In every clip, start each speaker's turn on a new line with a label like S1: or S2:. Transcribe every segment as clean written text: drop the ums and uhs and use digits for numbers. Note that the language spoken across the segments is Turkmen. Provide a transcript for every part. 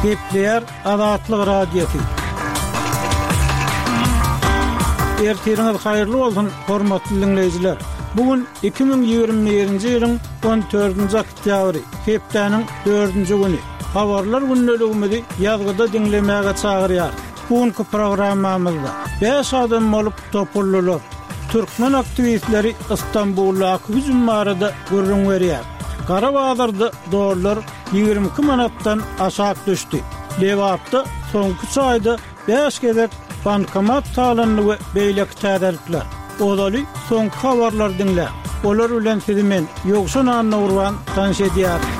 S1: Gepleýär Azatlyk Radiosy. Ertiriňiz haýyrly bolsun, hormatly diňleýjiler! Bu gün 2021-nji ýylyň 14-nji oktýabry, hepdäniň dördünji güni. Habarlar gündeligimizi ýazgyda diňlemäge çagyrýarys. Bu günki programmamyzda bäş adam bolup topuldylar. Türkmen aktiwistleri Stambuldaky hüjüm barada gürrüň berýär. Gara bazarda dollar 22 manatdan aşak düşdi. Lebapda soňky üç aýda bäş gezek bankomat talandy we beýleki täzelikler. Ozaly soňky habarlary diňläň. Olar bilen sizi men, Ýowşan Annagurban tanyş edýärin.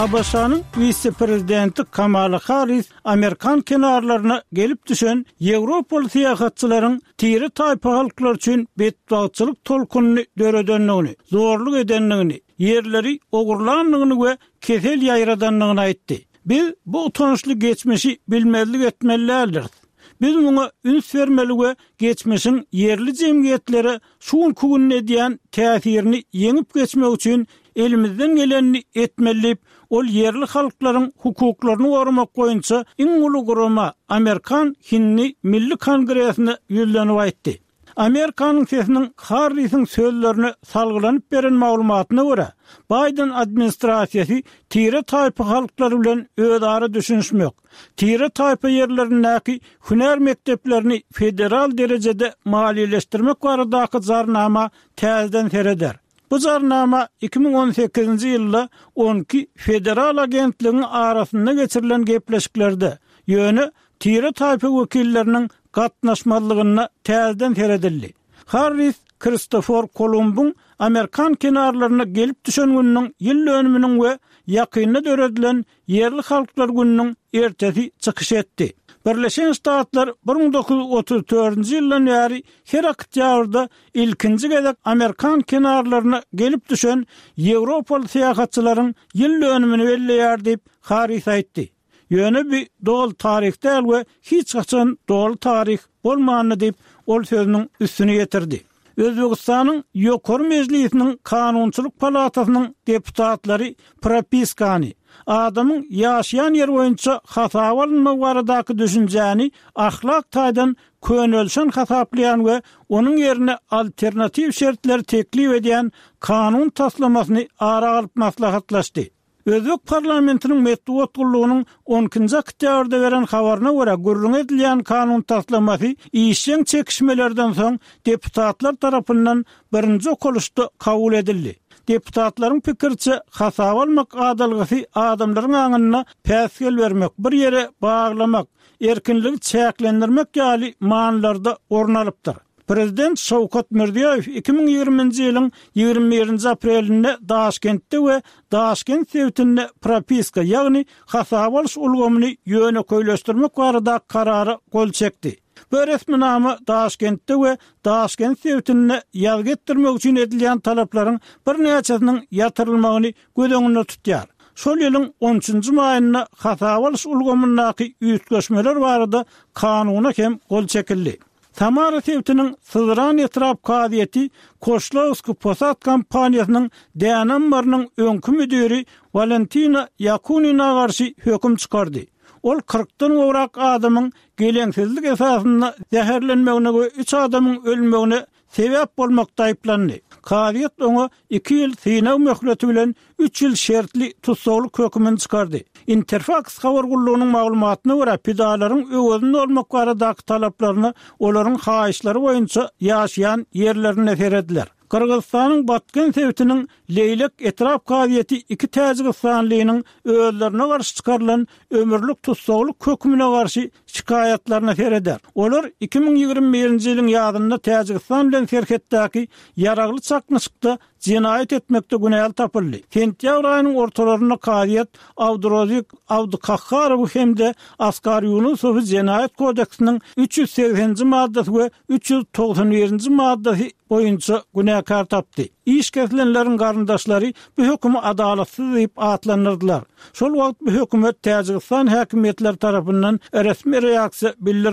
S1: ABŞ-nyň wise-prezidenti Kamala Harris amerikan kenarlaryna gelip düşen ýewropaly syýahatçylaryň tire-taýpa halklar üçin betbagtçylyk tolkunyny döredendigini, zorluk edendigini, ýerleri ogurlandygyny we kesel ýaýradandygyny aýtdy. Biz bu utançly geçmişi bilmezlik etmeli däldiris. Biz muňa üns bermeli we geçmişiň ýerli jemgyýetlere şu günki günde edýän täsirini ýeňip geçmek üçin elimizden gelenini etmeli diýip, ol ýerli halklaryň hukuklaryny goramak boýunça iň uly gurama, Amerikan Hindi Milli Kongresine ýüzlenip aýtdy. Amerikanyň Sesiniň Harrisiň sözlerine salgylanyp beren maglumatyna görä, Baýden administrasiýasy tire-taýpa halklary bilen özara düşünişmek, tire-taýpa ýerlerindäki hünär mekdeplerini federal derejede maliýeleşdirmek baradaky jarnama täzeden sereder. Bu jarnama 2018-nji ýylda on iki federal agentligiň arasynda geçirilen gepleşiklerde, ýöne tire-taýpa wekilleriniň gatnaşmazlygynda täzeden seredildi. Harris Kristofor Kolumbyň amerikan kenarlaryna gelip düşen gününiň ýyl dönüminiň we ýakynda döredilen Ýerli halklar gününiň ertesi çykyş etdi. Birleşen Ştatlar 1934-nji ýyldan bäri her oktýabrda ilkinji gezek amerikan kenarlaryna gelip düşen ýewropaly syýahatçylaryň ýyl dönümini belleýär diýip, Harris aýtdy. Ýöne bu doly taryh däl we hiç haçan doly taryh bolmandy diýip, ol sözüniň üstüni ýetirdi. Özbegistanyň Ýokary Mejlisiniň Kanunçylyk palatasynyň deputatlary propiskany, adamyň ýaşaýan ýeri boýunça hasaba alynmagy baradaky düşünjäni ahlak taýdan könelişen hasaplaýan we onuň ýerine alternatiw şertleri teklip edýän kanun taslamasyny ara alyp maslahatlaşdy. Özbek parlamentiniň metbugat gullugynyň on ikinji oktýabrda beren habaryna görä, gürrüňi edilýän kanun taslamasy işjeň çekişmelerden soň deputatlar tarapyndan birinji okalyşda kabul edildi. Deputatlaryň pikiriçe, hasaba almak adalgasy adamlaryň aňynda päsgel bermek, bir ýere baglamak, erkinligi çäklendirmek ýaly manylarda orun alypdyr. Prezident Şawkat Mirziýoýew 2020-nji ýylyň 21-nji aprelinde Daşkentde we Daşkent sebitinde propiska, ýagny hasaba alyş ulgamyny ýönekeýleşdirmek baradaky karara gol çekdi. Bu resminama Daşkentde we Daşkent sebitinde ýazgy etdirmek üçin edilýän talaplaryň birnäçesiniň ýatyrylmagyny göz öňünde tutýar. Şol ýylyň on üçünji maýynda hasaba alyş ulgamyndaky üýtgeşmeler barada kanuna hem gol çekildi. Samara sebitiniň Syzran etrap kazyýeti Koşlawskiý posad kompaniýasynyň däne ammarynyň öňki müdiri Walentina Ýakunina garşy höküm çykardy. Ol kyrkdan gowrak adamyň geleňsizlik esasynda zäherlenmegine we üç adamyň ölmegine sebäp bolmakda aýyplandy. Kazyýet oňa iki ýyl synag möhleti bilen üç ýyl şertli tussaglyk hökümini çykardy. Interfaks habar gullugynyň maglumatyna görä, pidalaryň öwezini dolmak baradaky talaplaryna olaryň haýyşlary boýunça ýaşaýan ýerlerinde serediler. Gyrgyzystanyň Batken sebitiniň Leýlek etrap kazyýeti iki täjigistanlynyň özlerine garşy çykarylan ömürlik tussaglyk hökümine garşy şikaýatlaryna sereder. Olar 2021-nji ýylyň ýazynda Täjigistan bilen serhetdäki ýaragly çaknyşykda jenaýat etmekde günäli tapyldy. Sentýabr aýynyň ortalarynda kazyýet Abdurozik Abdukahharowy hem-de Askar Ýunusowy Jenaýat kodeksiniň 380-nji maddasy we 391-nji maddasy boýunça günäkär tapdy. Iş kesilenleriň garyndaşlary bu hökümi adalatsyz diýip atlandyrdylar. Şol wagt bu höküme Täjigistan häkimiýetleri tarapyndan resmi reaksiýa bildirilmedi.